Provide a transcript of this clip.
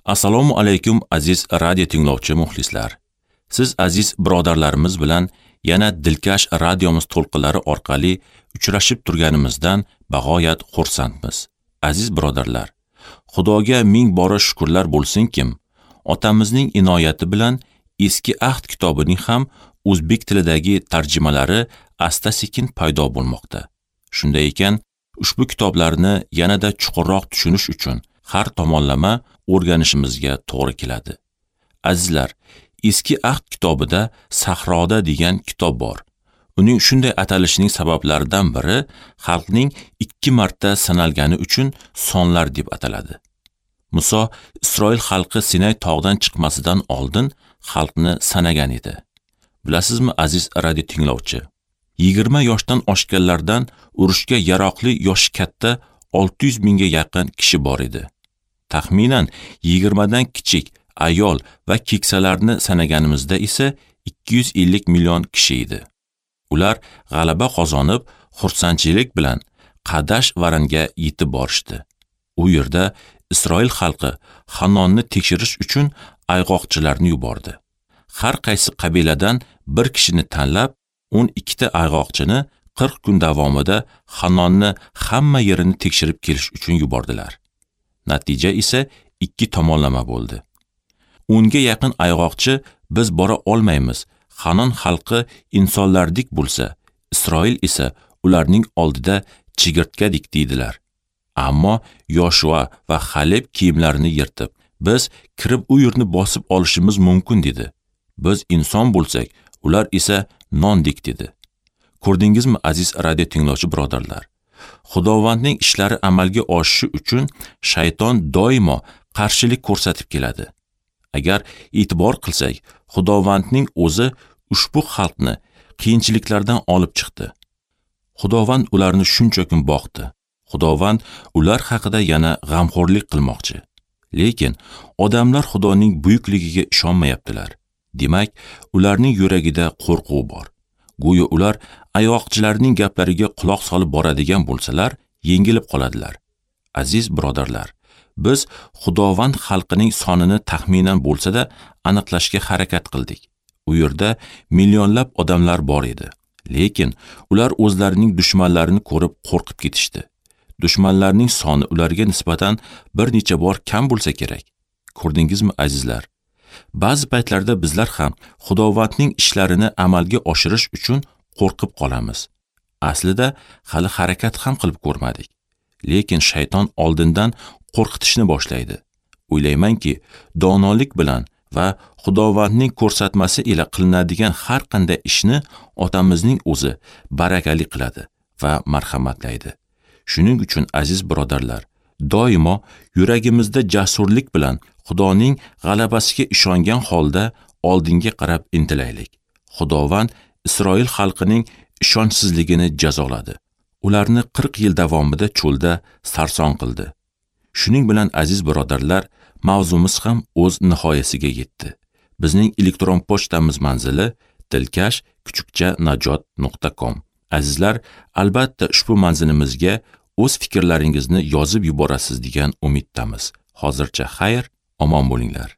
Assalomu alaykum aziz radio tinglovchi muxlislar. Siz aziz birodarlarimiz bilan yana dilkash radiomiz to'lqinlari orqali uchrashib turganimizdan bag'oyat xursandmiz. Aziz birodarlar, Xudoga ming bora shukrlar bo'lsinkim, otamizning inoyati bilan Eski Ahd kitobining ham o'zbek tilidagi tarjimalari asta-sekin paydo bo'lmoqda. Shunday ekan, ushbu kitoblarni yanada chuqurroq tushunish uchun har tomonlama o'rganishimizga to'g'ri keladi. Azizlar, Eski Ahd kitobida Sahroda degan kitob bor. Uning shunday atalishining sabablaridan biri xalqning 2 marta sanalgani uchun sonlar deb ataladi. Muso Isroil xalqi Sinay tog'idan chiqmasidan oldin xalqni sanagan edi. Bilasizmi, aziz radio tinglovchi, 20 yoshdan oshganlardan urushga yaroqli yoshi katta 600 mingga yaqin kishi bor edi. Taxminan 20 dan kichik ayol va keksalarni sanaganimizda esa 250 million kishi edi. Ular g'alaba qozonib, xursandchilik bilan Qadash Varanga yetib borishdi. U yerda Isroil xalqi Hanonni tekshirish uchun ayg'oqchilarni yubordi. Har qaysi qabiladan bir kishini tanlab, 12 ta ayg'oqchini 40 kun davomida Hanonni hamma yerini tekshirib kelish uchun yubordilar. Natija esa 2 tomonlama bo'ldi. 10 ga yaqin ayg'oqchi biz bora olmaymiz, Hanon xalqi insonlardek bo'lsa, Isroil esa ularning oldida chigirtkadek deydilar. Ammo Yoshua va Xaleb kiyimlarini yirtib, biz kirib u yerni bosib olishimiz mumkin dedi. Biz inson bo'lsak, ular esa nondek dedi. Ko'rdingizmi, aziz radio tinglovchi birodarlar? Xudovandning ishlari amalga oshishi uchun shayton doimo qarshilik ko'rsatib keladi. Agar e'tibor qilsak, Xudovandning o'zi ushbu xalqni qiyinchiliklardan olib chiqdi. Xudovand ularni shuncha kun boqdi. Xudovand ular haqida yana g'amxo'rlik qilmoqchi. Lekin odamlar Xudoning buyukligiga ishonmayaptilar. Demak, ularning yuragida qo'rquv bor. Go'yo ular ayg'oqchilarning gaplariga quloq solib boradigan bo'lsalar, yengilib qoladilar. Aziz birodarlar, biz Xudovand xalqining sonini taxminan bo'lsa-da aniqlashga harakat qildik. U yerda millionlab odamlar bor edi. Lekin ular o'zlarining dushmanlarini ko'rib qo'rqib ketishdi. Dushmanlarning soni ularga nisbatan bir necha bor kam bo'lsa kerak. Ko'rdingizmi, azizlar? Ba'zi paytlarda bizlar ham Xudovandning ishlarini amalga oshirish uchun qo'rqib qolamiz. Aslida hali harakat ham qilib ko'rmadik. Lekin shayton oldindan qo'rqitishni boshlaydi. O'ylaymanki, donolik bilan va Xudovandning ko'rsatmasi ila qilinadigan har qanday ishni otamizning o'zi barakali qiladi va marhamatlaydi. Shuning uchun aziz birodarlar, doimo yuragimizda jasurlik bilan Xudoning g'alabasiga ishongan holda oldinga qarab intilaylik. Xudovand Isroil xalqining ishonchsizligini jazoladi. Ularni 40 yil davomida cho'lda sarson qildi. Shuning bilan aziz birodarlar, mavzumiz ham o'z nihoyasiga yetdi. Bizning elektron pochtamiz manzili dilkash@najot.com. Azizlar, albatta ushbu manzilimizga o'z fikrlaringizni yozib yuborasiz degan umiddamiz. Hozircha xayr, omon bo'linglar.